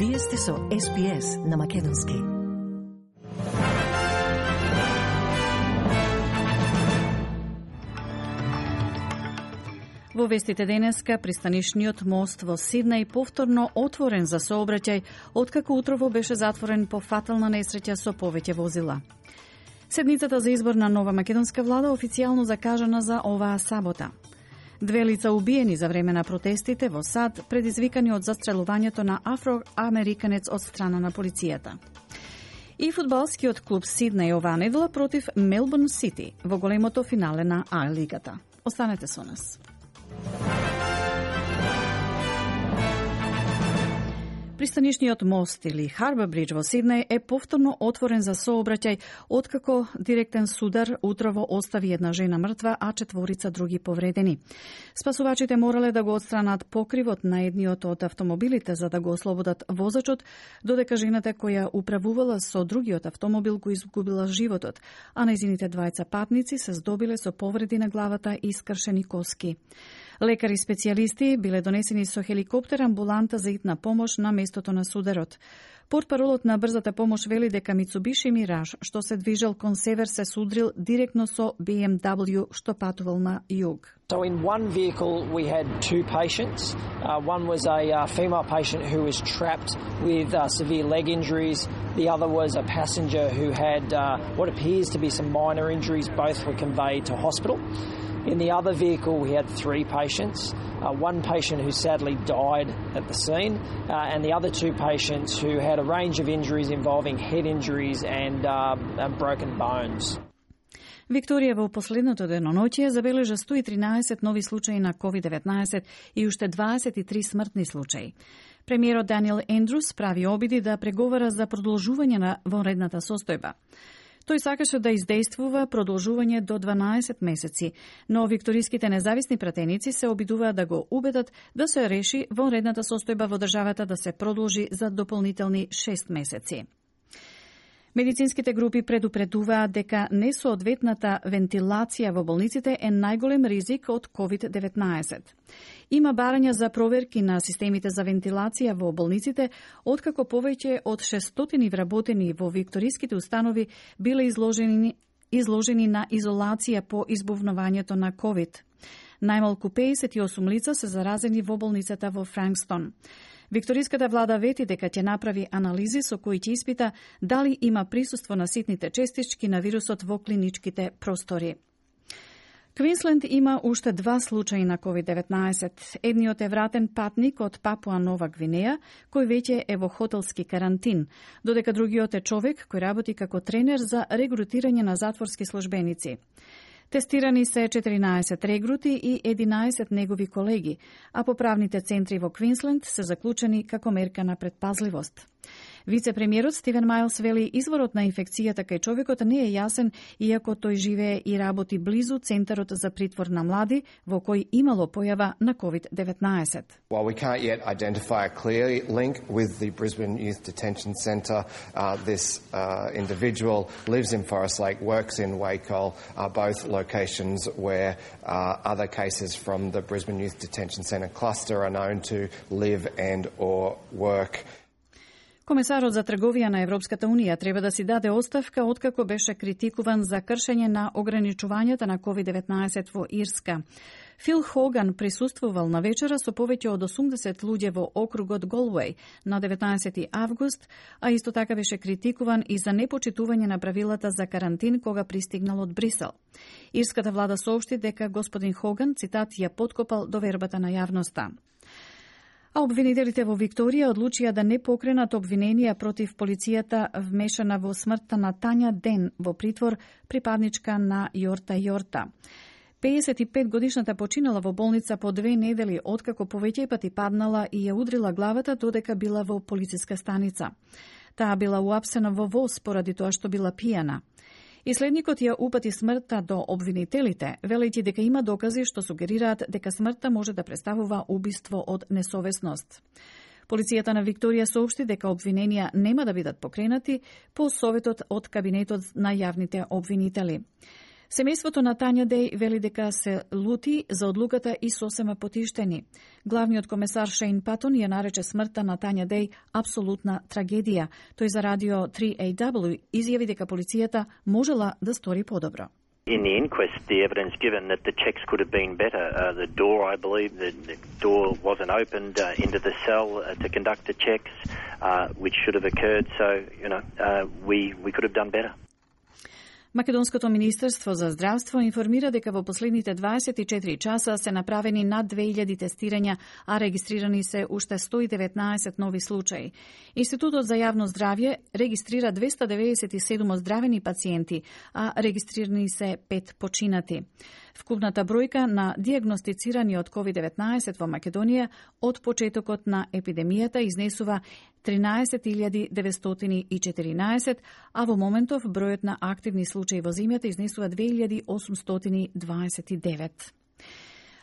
Вие сте со SPS на Македонски. Во вестите денеска, пристанишниот мост во Сиднеј повторно отворен за сообраќај, откако утрово беше затворен по фатална несреќа со повеќе возила. Седницата за избор на нова македонска влада официјално закажана за оваа сабота. 2 лица убиени за време на протестите во САД, предизвикани од застрелувањето на афроамериканец од страна на полицијата. И фудбалскиот клуб Сиднеј оваа недела против Мелбурн Сити во големото финале на А-лигата. Останете со нас. Пристанишниот мост или Харбор Бридж во Сиднеј е повторно отворен за сообраќај откако директен судар утрово остави една жена мртва, а 4 други повредени. Спасувачите морале да го отстранат покривот на едниот од автомобилите за да го ослободат возачот, додека жената која управувала со другиот автомобил го изгубила животот, а нејзините двајца патници се здобиле со повреди на главата и скршени коски. Лекари специјалисти биле донесени со хеликоптер амбуланта за итна помош на местото на сударот. Портпаролот на брзата помош вели дека Mitsubishi Mirage, што се движел кон север, се судрил директно со BMW, што патувал на југ. So in one vehicle we had 2 patients. One was a female patient who was trapped with severe leg injuries. The other was a passenger who had what appears to be some minor injuries. Both were conveyed to hospital. In the other vehicle we had 3 patients. One patient who sadly died at the scene, and the other 2 patients who had a range of injuries involving head injuries and broken bones. Викторија во последното деноноќие забележа 113 нови случаи на COVID-19 и уште 23 смртни случаи. Премиерот Даниел Ендрус прави обиди да преговара за продолжување на вонредната состојба. Тој сакаше да издействува продолжување до 12 месеци, но викториските независни пратеници се обидуваат да го убедат да се реши вонредната состојба во државата да се продолжи за дополнителни 6 месеци. Медицинските групи предупредуваат дека несоодветната вентилација во болниците е најголем ризик од COVID-19. Има барања за проверки на системите за вентилација во болниците, откако повеќе од 600 вработени во викториските установи биле изложени на изолација по избувнувањето на COVID. Најмалку 58 лица се заразени во болницата во Франкстон. Викториската влада вети дека ќе направи анализи со кои ќе испита дали има присуство на ситните честички на вирусот во клиничките простори. Квинсленд има уште 2 случаи на COVID-19. Едниот е вратен патник од Папуа Нова Гвинеја, кој веќе е во хотелски карантин, додека другиот е човек кој работи како тренер за регрутирање на затворски службеници. Тестирани се 14 регрути и 11 негови колеги, а поправните центри во Квинсленд се заклучени како мерка на предпазливост. Вице-премиерот Стивен Мајлс вели изворот на инфекцијата кај човекот не е јасен, иако тој живее и работи близу Центарот за притвор на млади, во кој имало појава на COVID-19. While we can't yet identify a clear link with the Brisbane Youth Detention Centre, this individual lives in Forest Lake, works in Wacol, both locations where other cases from the Brisbane Youth Detention Centre cluster are known to live and or work. Комесарот за трговија на Европската Унија треба да си даде оставка откако беше критикуван за кршење на ограничувањата на COVID-19 во Ирска. Фил Хоган присуствувал на вечера со повеќе од 80 луѓе во округот Голвеј на 19 август, а исто така беше критикуван и за непочитување на правилата за карантин кога пристигнал од Брисел. Ирската влада соопшти дека господин Хоган, цитат, ја подкопал довербата на јавноста. А обвинителите во Викторија одлучија да не покренат обвиненија против полицијата вмешана во смртта на Тања Ден во притвор, припадничка на Јорта Јорта. 55-годишната починала во болница по 2 недели откако повеќе пати паднала и ја удрила главата додека била во полициска станица. Таа била уапсена во воз поради тоа што била пијана. Иследникот ја упати смртта до обвинителите, велејќи дека има докази што сугерираат дека смртта може да представува убиство од несовесност. Полицијата на Викторија соопшти дека обвиненија нема да бидат покренати по советот од кабинетот на јавните обвинители. Семејството на Тања Деј вели дека се лути за одлуката и сосема потиштени. Главниот комесар Шейн Патон ја нарече смртта на Тања Деј апсолутна трагедија. Тој за радио 3AW изјави дека полицијата можела да стори подобро. In the inquest, the evidence given that the checks could have been better. The door, I believe, the door wasn't opened into the cell to conduct the checks, which should have occurred. So, we could have done better. Македонското министерство за здравство информира дека во последните 24 часа се направени над 2000 тестирања, а регистрирани се уште 119 нови случаи. Институтот за јавно здравје регистрира 297 оздравени пациенти, а регистрирани се 5 починати. Вкупната бројка на дијагностицирани од COVID-19 во Македонија од почетокот на епидемијата изнесува 13.914, а во моментов бројот на активни случаи во земјата изнесува 2.829.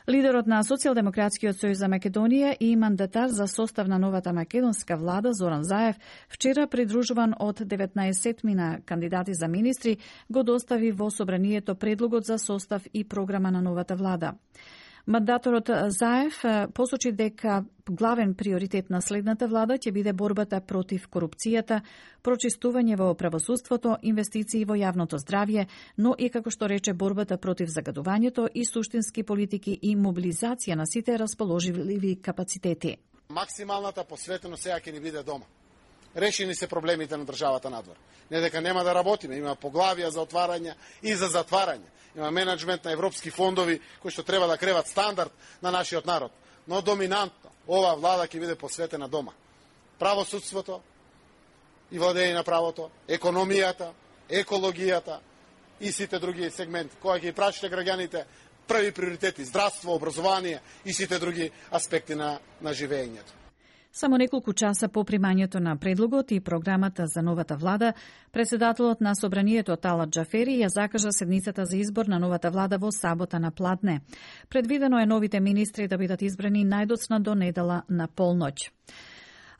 Лидерот на Социјалдемократскиот сојуз за Македонија и мандатар за состав на новата македонска влада Зоран Заев вчера придружуван од 19 кандидати за министри го достави во собранието предлогот за состав и програма на новата влада. Мандаторот Заев посочи дека главен приоритет на следната влада ќе биде борбата против корупцијата, прочистување во правосудството, инвестиции во јавното здравје, но и, како што рече, борбата против загадувањето и суштински политики и мобилизација на сите расположливи капацитети. Максималната посветеност сега ќе ни биде дома. Решени се проблемите на државата надвор. Не дека нема да работиме, има поглавија за отварање и за затварање. Има менеджмент на европски фондови кои што треба да креват стандард на нашиот народ. Но доминантно оваа влада ќе биде посветена дома. Правосудството и владење на правото, економијата, екологијата и сите други сегменти. Кога ќе прашите граѓаните први приоритети, здравство, образование и сите други аспекти на живеењето. Само неколку часа по примањето на предлогот и програмата за новата влада, председателот на собранието Талат Џафери ја закажа седницата за избор на новата влада во сабота на Пладне. Предвидено е новите министри да бидат избрани најдоцна до недела на полноќ.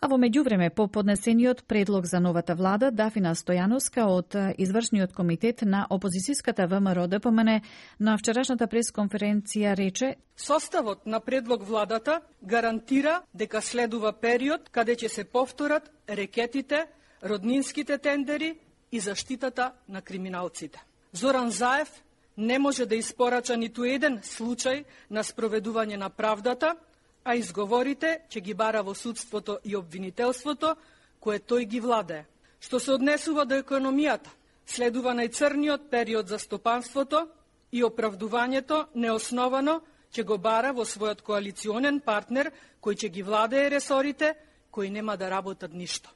А во меѓувреме, по поднесениот предлог за новата влада, Дафина Стојановска од извршниот комитет на опозицијската ВМРО ДПМН на вчерашната пресконференција рече: составот на предлог владата гарантира дека следува период каде ќе се повторат рекетите, роднинските тендери и заштитата на криминалците. Зоран Заев не може да испорача ниту еден случај на спроведување на правдата, а изговорите ќе ги бара во судството и обвинителството, кое тој ги владее. Што се однесува до економијата, следува најцрниот период за стопанството и оправдувањето неосновано ќе го бара во својот коалиционен партнер, кој ќе ги владее ресорите, кои нема да работат ништо.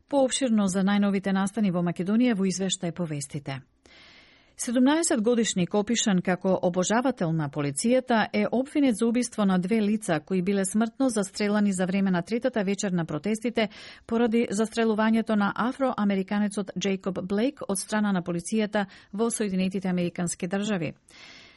Поопширно за најновите настани во Македонија во извештај повестите. 17-годишник опишан како обожавател на полицијата е обвинет за убиство на 2 лица кои биле смртно застрелани за време на третата вечер на протестите поради застрелувањето на афроамериканецот Джейкоб Блейк од страна на полицијата во Соединетите Американски држави.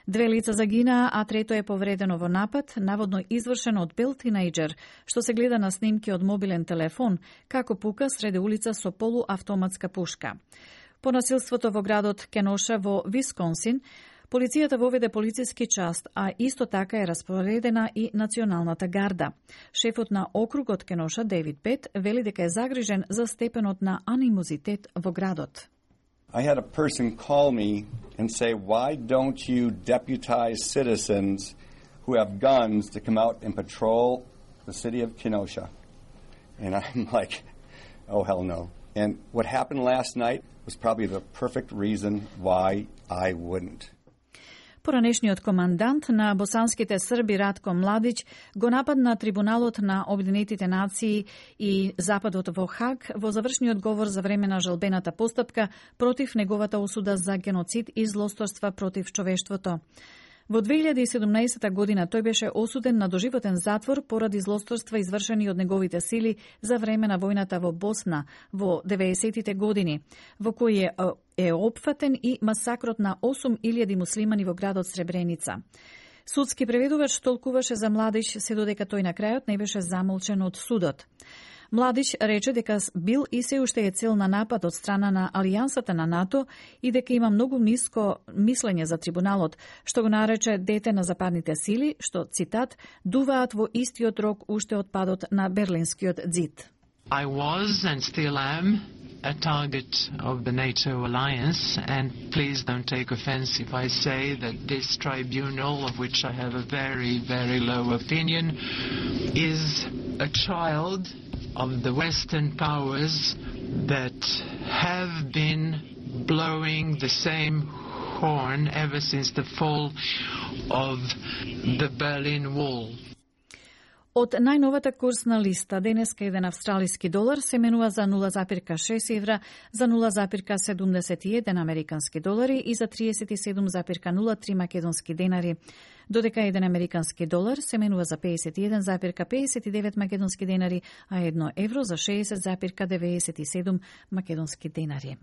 2 лица загинаа, а трето е повредено во напад, наводно извршен од бел тинејџер, што се гледа на снимки од мобилен телефон, како пука среде улица со полуавтоматска пушка. По насилството во градот Кеноша во Висконсин, полицијата воведе полициски част, а исто така е распоредена и Националната гарда. Шефот на округот Кеноша, Дейвид Пет, вели дека е загрижен за степенот на анимозитет во градот. I had a person call me and say, why don't you deputize citizens who have guns to come out and patrol the city of Kenosha? And I'm like, oh, hell no. And what happened last night was probably the perfect reason why I wouldn't. Поранешниот командант на босанските срби Ратко Младич го нападна Трибуналот на Обединетите нации и Западот во Хаг во завршниот говор за време на жалбената постапка против неговата осуда за геноцид и злосторства против човештвото. Во 2017 година тој беше осуден на доживотен затвор поради злосторства извршени од неговите сили за време на војната во Босна во 90-тите години, во кој е опфатен и масакрот на 8000 муслимани во градот Сребреница. Судски преведувач толкуваше за Младич се додека тој на крајот не беше замолчен од судот. Младиш рече дека бил и се уште е цел на напад од страна на Алијансата на НАТО и дека има многу ниско мислење за трибуналот, што го нарече дете на западните сили, што, цитат, дуваат во истиот рок уште од падот на Берлинскиот ѕид. I was and still am a target of the NATO alliance, and please don't take offense if I say that this tribunal, of which I have a very, very low opinion, is a child of the Western powers that have been blowing the same horn ever since the fall of the Berlin Wall. Од најновата курсна листа, денеска еден австралиски долар се менува за 0,6 евра, за 0,71 американски долари и за 37,03 македонски денари, додека еден американски долар се менува за 51,59 македонски денари, а 1 евро за 60,97 македонски денари.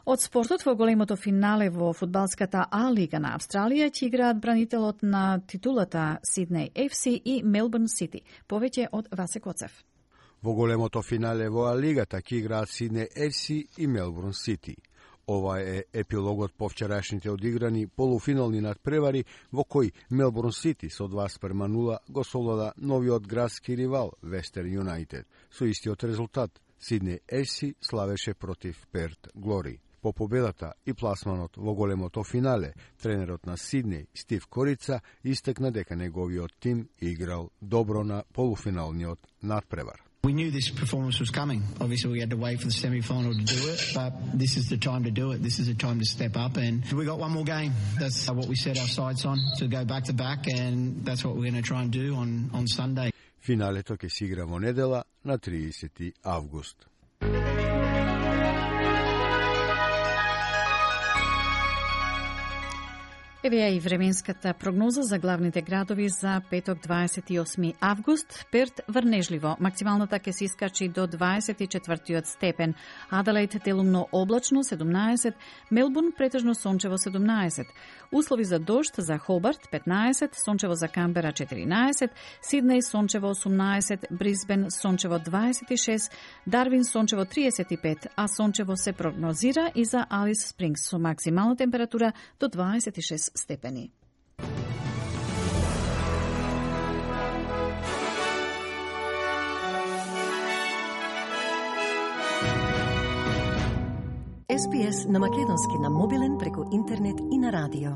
Од спортот во големото финале во фудбалската А лига на Австралија ќе играат бранителот на титулата Сиднеј FC и Мелбурн Сити. Повеќе од Васе Коцев. Во големото финале во А лигата ќе играат Сиднеј FC и Мелбурн Сити. Ова е епилогот по вчерашните одиграни полуфинални надпревари во кои Мелбурн Сити со 2:0 го совлада новиот градски ривал Вестерн Юнајтед. Со истиот резултат Сиднеј FC славеше против Перт Глори. По победата и пласманот во големото финале, тренерот на Сиднеј, Стив Корица, истакна дека неговиот тим играл добро на полуфиналниот надпревар. We knew this performance was coming. Obviously, we had to wait for the semi-final to do it, but this is the time to do it. This is the time to step up, and we got one more game. That's what we set our sights on, to go back-to-back, and that's what we're going to try and do on Sunday. Финалето ќе се игра во недела на 30 август. Еве ја и временската прогноза за главните градови за петок 28 август. Перт врнежливо, максималната ќе се искачи до 24 степен. Аделаид делумно облачно 17, Мелбурн претежно сончево 17. Услови за дожд за Хобарт 15, сончево за Камбера 14, Сиднеј сончево 18, Брисбен сончево 26, Дарвин сончево 35, а сончево се прогнозира и за Алис Спрингс со максимална температура до 26 степени. SPS на македонски на мобилен преку интернет и на радио.